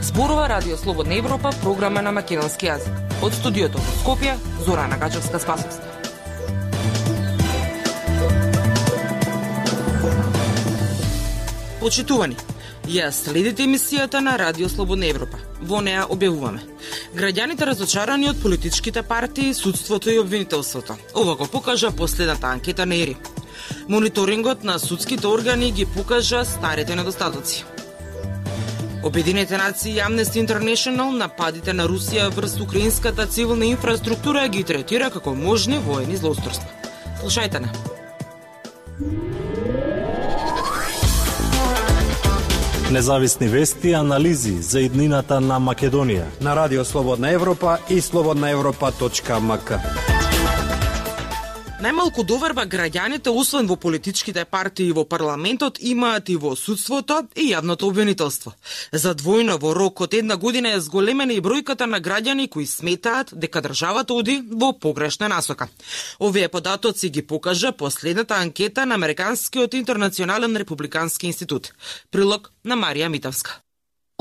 Зборува Радио Слободна Европа, програма на македонски јазик. Од студиото во Скопје, Зорана Гачевска-Спасовска. Почитувани, ја следите емисијата на Радио Слободна Европа. Во неа објавуваме: граѓаните разочарани од политичките партии, судството и обвинителството. Ова го покажа последната анкета на ИРИ. Мониторингот на судските органи ги покажа старите недостатоци. Обединените нации и Amnesty International нападите на Русија врз украинската цивилна инфраструктура ги третира како можни воени злоустройства. Слушајте на. Независни вести и анализи за иднината на Македонија на Радио Слободна Европа и slobodnaevropa.mk. Најмалку доверба граѓаните, освен во политичките партии и во парламентот, имаат и во судството и јавното обвинителство. За двојно во рок од една година е зголемена и бројката на граѓани кои сметаат дека државата оди во погрешна насока. Овие податоци ги покажа последната анкета на Американскиот интернационален републикански институт. Прилог на Марија Митовска.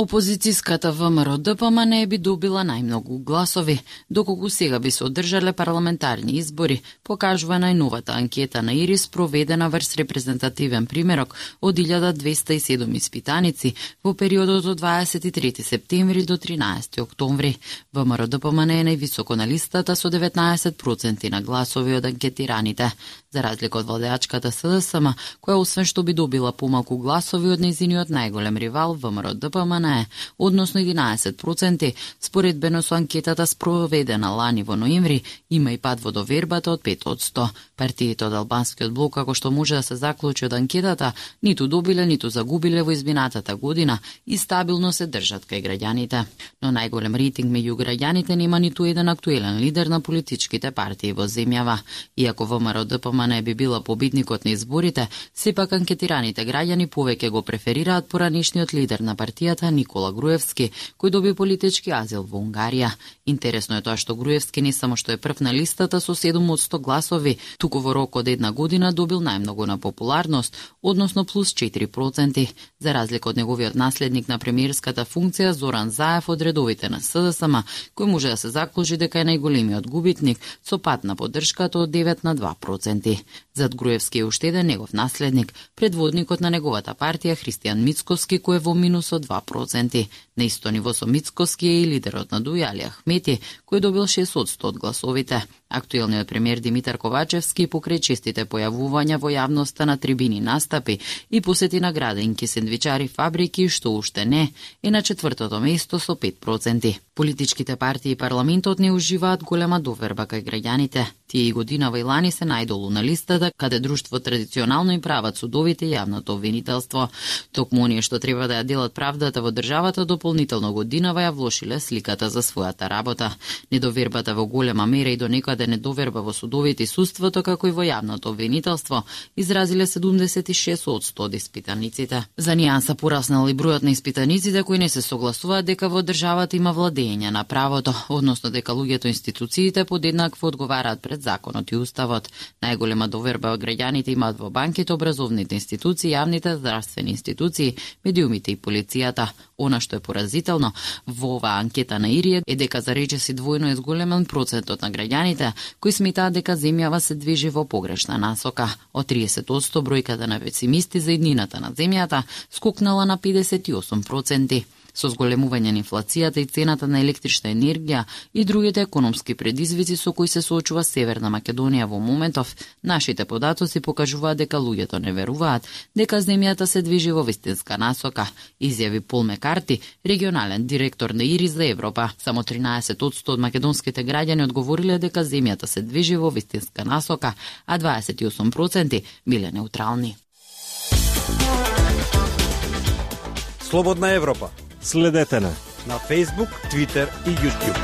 Опозицијската ВМРО-ДПМН би добила најмногу гласови, доколку сега би се одржале парламентарни избори, покажува најновата анкета на ИРИ спроведена врз репрезентативен примерок од 1207 испитаници во периодот од 23 септември до 13 октомври. ВМРО-ДПМН е највисоко на листата со 19% на гласови од анкетираните, за разлика од владеачката СДСМ, која освен што би добила помалку гласови од нејзиниот најголем ривал ВМРО-ДПМН, односно 11%, споредбено со анкетата спроведена лани во ноември, има и пад во довербата од 5%. Партиите од албанскиот блок, како што може да се заклучи од анкетата, ниту добиле, ниту загубиле во изминатата година и стабилно се држат кај граѓаните. Но најголем рейтинг меѓу граѓаните нема ниту еден актуелен лидер на политичките партии во земјава. Иако ВМРО-ДПМН би била победникот на изборите, сепак анкетираните граѓани повеќе го преферираат поранишниот лидер на партијата Никола Груевски, кој доби политички азил во Унгарија. Интересно е тоа што Груевски не само што е прв на листата со 7 од 100 гласови, туку во рок од една година добил најмногу на популарност, односно плюс 4%, за разлика од неговиот наследник на премиерската функција Зоран Заев од редовите на СДСМ, кој може да се заклучи дека е најголемиот губитник со пад на поддршката од 9 на 2%. Зад Груевски е уште еден негов наследник, предводникот на неговата партија Христијан Мицкоски, кој е во минус од 2%. На исто ниво со Мицкоски е и лидерот на Дуј Али Ахмети, кој добил 6 од 100 од гласовите. Актуелниот премиер Димитар Ковачевски покрај честите појавувања во јавноста на трибини настапи и посети награденки, сендвичари, фабрики, што уште не, е на 4-то место со 5%. Политичките партии и парламентот не уживаат голема доверба кај граѓаните. Тие и годинава и лани се најдолу на листата, каде друштво традиционално им прават судовите и јавното обвинителство. Токму оние што треба да ја делат правдата во државата дополнително годинава ја влошиле сликата за својата работа. Недовербата во голема мера и до некаде недоверба во судовите и судството, како и во јавното обвинителство, изразиле 76 од 100 од испитаниците. За нијанса пораснал и бројот на испитаниците кои не се согласуваат дека во државата има владење на правото, односно дека луѓето институциите подеднакво одговараат пред законот и уставот. Најголема доверба од граѓаните имаат во банките, образовните институции, јавните здравствени институции, медиумите и полицијата. Она што е поразително во оваа анкета на ИРИ е дека за речиси двојно е зголемен процентот на граѓаните кои сметаат дека земјава се движи во погрешна насока. Од 30% бројката на песимисти за иднината на земјата скокнала на 58%. Со зголемување на инфлацијата и цената на електрична енергија и другите економски предизвици со кои се соочува Северна Македонија во моментов, нашите податоци покажуваат дека луѓето не веруваат дека земјата се движи во вистинска насока, изјави Пол Мекарти, регионален директор на ИРИ за Европа. Само 13% од македонските граѓани одговориле дека земјата се движи во вистинска насока, а 28% биле неутрални. Слободна Европа. Следете на Facebook, Twitter и YouTube.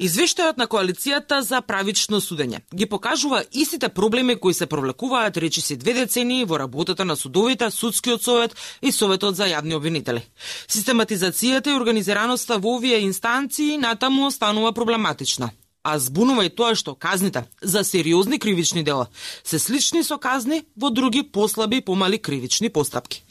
Извештајот на коалицијата за правично судење ги покажува истите проблеми кои се провлекуваат речиси 2 децении во работата на судовите, судскиот совет и советот за јавни обвинители. Систематизацијата и организираноста во овие инстанции натаму останува проблематична. а збунува и тоа што казните за сериозни кривични дела се слични со казни во други послаби и помали кривични постапки.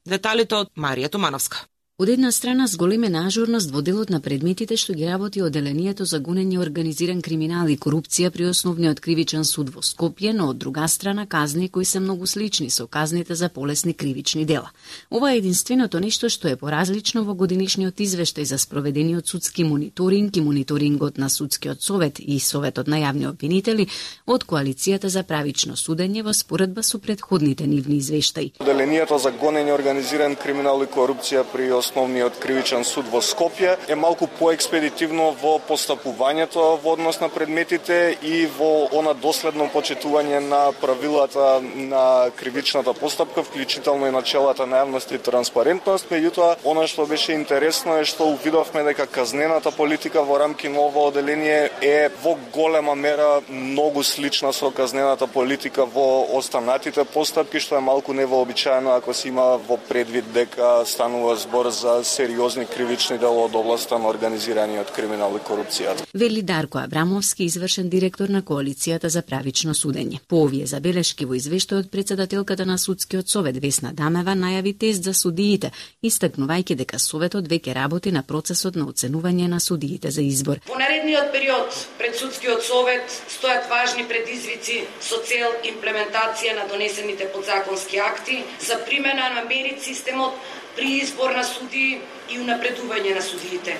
Деталите од Марија Томановска. Од една страна с големена ажурност во делот на предметите што ги работи Оделението за гонење организиран криминал и корупција при Основниот кривичен суд во Скопје, но од друга страна казни кои се многу слични со казните за полесни кривични дела. Ова е единственото нешто што е поразлично во годинишниот извештај за спроведениот судски мониторинг и мониторингот на Судскиот совет и Советот на јавни обвинители од Коалицијата за правично судење во споредба со претходните нивни извештаи. Оделението за гонење организиран криминал и корупција при Основниот кривичен суд во Скопје е малку поекспедитивно во постапувањето во однос на предметите и во она доследно почитување на правилата на кривичната постапка, вклучително и начелата на јавност и транспарентност. Меѓутоа, она што беше интересно е што увидовме дека казнената политика во рамки на ова оделение е во голема мера многу слична со казнената политика во останатите постапки, што е малку невообичаено ако се има во предвид дека станува збор за сериозни кривични дела од областа на организираниот криминал и корупцијата. Вели Дарко Абрамовски, извршен директор на Коалицијата за правично судење. По овие забелешки во извештајот председателката на Судскиот совет Весна Дамева најави тест за судиите, истакнувајќи дека советот веќе работи на процесот на оценување на судиите за избор. Во наредниот период пред Судскиот совет стојат важни предизвици со цел имплементација на донесените подзаконски акти за примена на мерит системот при избор на судии и унапредување на судиите,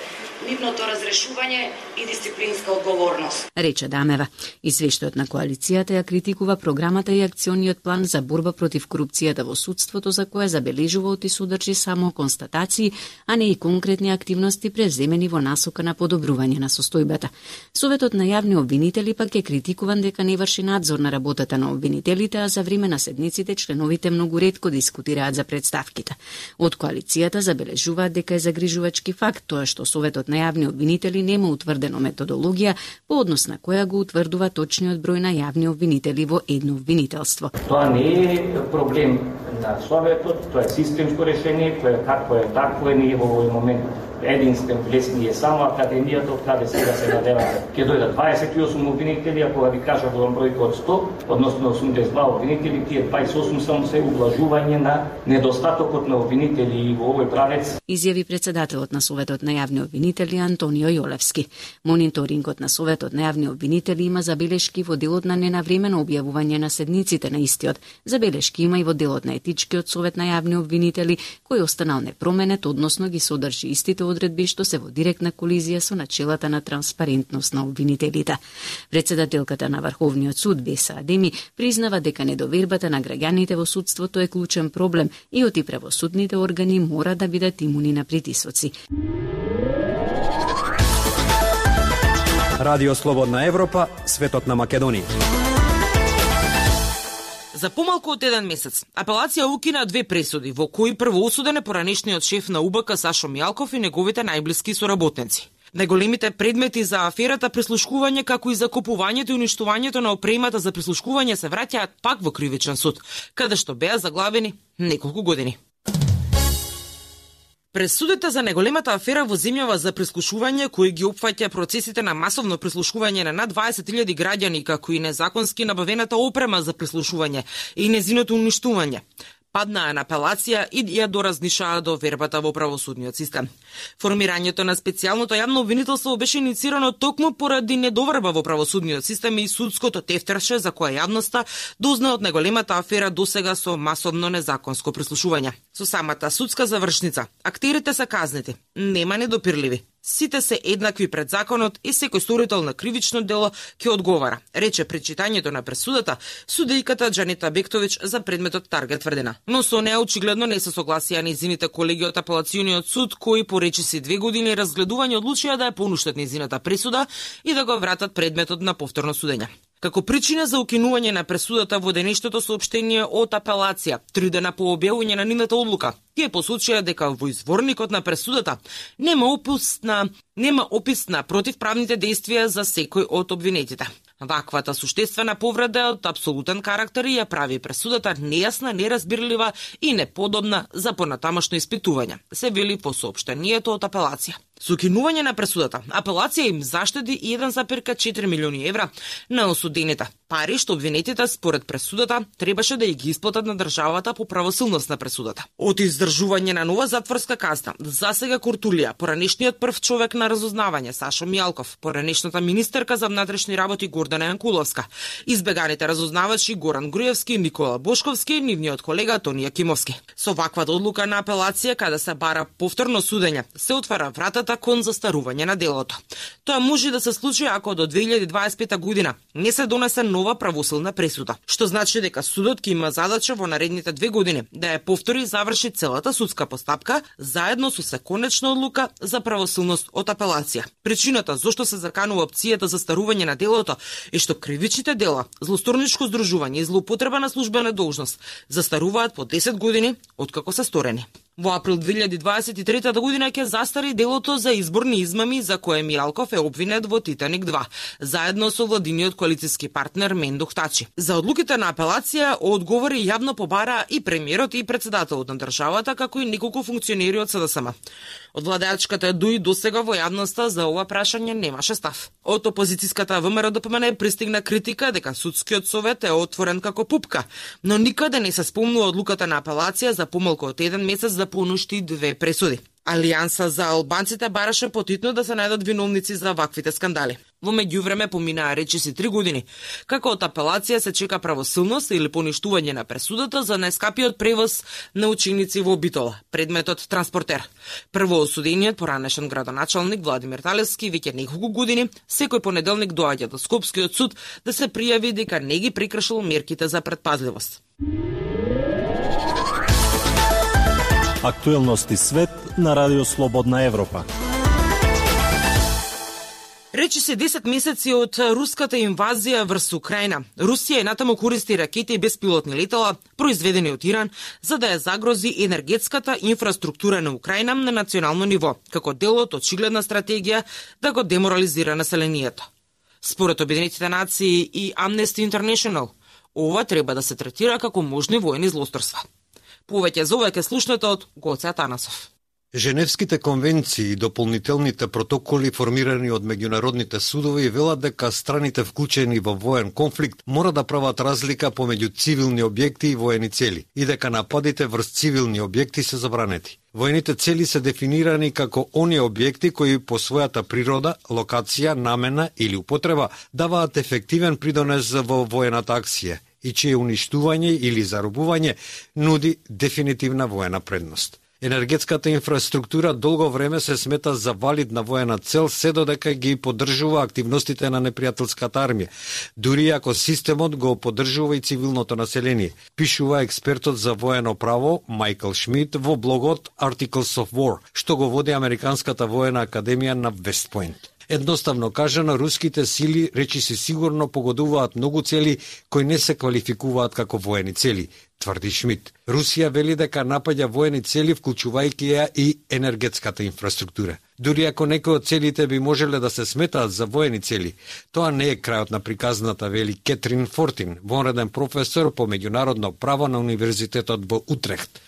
нивното разрешување и дисциплинска одговорност. Рече Дамева. Извештајот на коалицијата ја критикува програмата и акциониот план за борба против корупцијата во судството, за која забележува и содржи само констатации, а не и конкретни активности преземени во насока на подобрување на состојбата. Советот на јавни обвинители пак е критикуван дека не врши надзор на работата на обвинителите, а за време на седниците членовите многу ретко дискутираат за представките. Од коалицијата забележуваат дека е загрижувачки факт тоа што Советот на јавни обвинители нема утврдено методологија по однос на која го утврдува точниот број на јавни обвинители во едно обвинителство. Тоа не е проблем на Советот, тоа е системско решение кое е такво е ние во овој момент. Единствен влесни е само Академијата, од каде сега се надевате. Ќе дојдат 28 обвинители, ако ви кажа во бројка од 100, односно 82 обвинители, тие 28 само се ублажување на недостатокот на обвинители и во овој правец. Изјави председателот на Советот на јавни обвинители Антонио Јолевски. Мониторингот на Советот на јавни обвинители има забелешки во делот на ненавремено објавување на седниците на истиот. Забелешки има и во делот на Етичкиот совет на јавни обвинители, кој останал непроменет, односно ги содржи истите одредби што се во директна колизија со начелата на транспарентност на обвинителите. Председателката на Врховниот суд Беса Адеми признава дека недовербата на граѓаните во судството е клучен проблем и оти правосудните органи мора да бидат имуни на притисоци. Радио Слободна Европа, светот на Македонија. За помалку од еден месец, апелација укина 2 пресуди, во кои прво осуден е поранешниот шеф на УБК Сашо Мијалков и неговите најблиски соработници. Најголемите предмети за аферата прислушкување, како и закупувањето и уништувањето на опремата за прислушкување се враќаат пак во кривичен суд, каде што беа заглавени неколку години. Пресудите за најголемата афера во земјава за прислушување, кои ги опфаќа процесите на масовно прислушување на над 20.000 граѓани, како и незаконски набавената опрема за прислушување и незиното уништување, паднаа на апелација и ја доразнишаа до вербата во правосудниот систем. Формирањето на специјалното јавно обвинителство беше иницирано токму поради недоверба во правосудниот систем и судското тефтерше за која јавноста дозна од најголемата афера досега со масовно незаконско прислушување. Со самата судска завршница, актерите се казнети, нема недопирливи. Сите се еднакви пред законот и секој сторител на кривично дело ќе одговара, рече пред читањето на пресудата судејката Џанита Бектович за предметот Таргет тврдена. Но со неа очигледно не се согласија нејзините колеги од апелациониот суд, кои по речиси 2 години разгледување одлучија да ја понуштат нејзината пресуда и да го вратат предметот на повторно судење. Како причина за укинување на пресудата во денешното соопштение од апелација, 3 дена по објавување на нивната одлука, тие посочија дека во изворникот на пресудата нема опис на противправните действија за секој од обвинетите. Ваквата суштествена повреда е од апсолутен карактер и ја прави пресудата нејасна, неразбирлива и неподобна за понатамошно испитување, се вели во соопштението од апелација. Со укинување на пресудата, апелација им заштеди 1,4 милиони евра на осудените. Пари што обвинетите според пресудата требаше да ги исплатат на државата по правосилност на пресудата. Од издржување на нова затворска казна, засега Куртулија, поранешниот прв човек на разузнавање Сашо Мијалков, поранешната министерка за внатрешни работи Гордана Јанкуловска, избеганите разузнавачи Горан Груевски, Никола Бошковски и нивниот колега Тони Јакимовски. Со ваква одлука на апелација, каде се бара повторно судење, се отвара вратата кон застарување на делото. Тоа може да се случи ако до 2025 година не се донесе нова правосилна пресуда, што значи дека судот ќе има задача во наредните 2 години да ја повтори и заврши целата судска постапка заедно со законечна одлука за правосилност од апелација. Причината зошто се заканува опцијата за старување на делото е што кривичните дела, злосторничко здружување и злоупотреба на службена должност застаруваат по 10 години откако се сторени. Во април 2023 година ќе застари делото за изборни измами за кое Мијалков е обвинет во Титаник 2, заедно со владиниот коалициски партнер Мендух Тачи. За одлуките на апелација одговори јавно побара и премиерот и председателот на државата, како и неколку функционери од СДСМ. Од владеачката ДУИ досега во јавноста за ова прашање немаше став. Од опозицијската ВМРО-ДПМН пристигна критика дека судскиот совет е отворен како пупка, но никаде не се спомнува одлуката на апелација за помалку од 1 месец да понушти 2 пресуди. Алијанса за албанците бараше потитно да се најдат виновници за ваквите скандали. Во меѓувреме поминаа речиси 3 години, како од апелација се чека правосилност или поништување на пресудата за најскапиот превоз на ученици во Битола, предметот транспортер. Прво осудениот поранешен градоначалник Владимир Талевски веќе неколку години секој понеделник доаѓа до Скопскиот суд да се пријави дека не ги прекршил мерките за претпазливост. Актуелности свет на Радио Слободна Европа. Речи се 10 месеци од руската инвазија врз Украина. Русија и натаму користи ракети и беспилотни летала, произведени од Иран, за да ја загрози енергетската инфраструктура на Украина на национално ниво, како дел од очигледна стратегија да го деморализира населението. Според Обединетите нации и Amnesty International, ова треба да се третира како можни воени злосторства. Повеќе за ова ќе слушнете од Гоце Атанасов. Женевските конвенции и дополнителните протоколи формирани од меѓународните судови велат дека страните вклучени во воен конфликт мора да прават разлика помеѓу цивилни објекти и воени цели и дека нападите врз цивилни објекти се забранети. Воените цели се дефинирани како оние објекти кои по својата природа, локација, намена или употреба даваат ефективен придонес во воената акција и чие уништување или заробување нуди дефинитивна воена предност. Енергетската инфраструктура долго време се смета за валидна воена цел се додека ги поддржува активностите на непријателската армија, дури ако системот го поддржува и цивилното население, пишува експертот за воено право Майкл Шмидт во блогот Articles of War, што го води Американската воена академија на Вест Пойнт. Едноставно кажано, руските сили речиси сигурно погодуваат многу цели кои не се квалификуваат како воени цели, тврди Шмидт. Русија вели дека напаѓа воени цели, вклучувајќи ја и енергетската инфраструктура. Дури ако некои од целите би можеле да се сметаат за воени цели, тоа не е крајот на приказната, вели Кетрин Фортин, вонреден професор по меѓународно право на Универзитетот во Утрехт.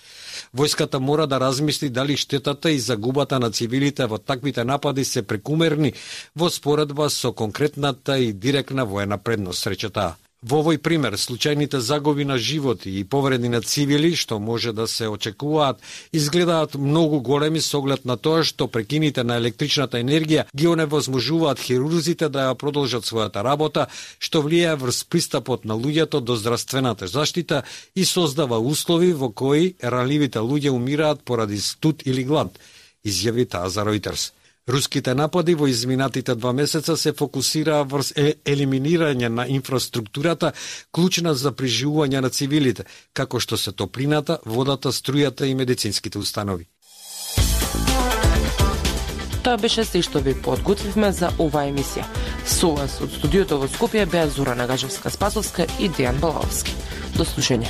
Војската мора да размисли дали штетата и загубата на цивилите во таквите напади се прекумерни во споредба со конкретната и директна воена предност, рече таа. Во овој пример, случајните загуби на животи и повреди на цивили, што може да се очекуваат, изгледаат многу големи со оглед на тоа што прекините на електричната енергија ги оневозможуваат хирурзите да ја продолжат својата работа, што влијае врз пристапот на луѓето до здравствената заштита и создава услови во кои ранливите луѓе умираат поради студ или глад, изјави таа за Reuters. Руските напади во изминатите 2 месеца се фокусираа врз елиминирање на инфраструктурата, клучна за преживување на цивилите, како што се топлината, водата, струјата и медицинските установи. Тоа беше се што ви подготвивме за оваа емисија. Со вас од студиото во Скопје беа Зора Нагажевска-Спасовска и Дејан Балаовски. До слушање.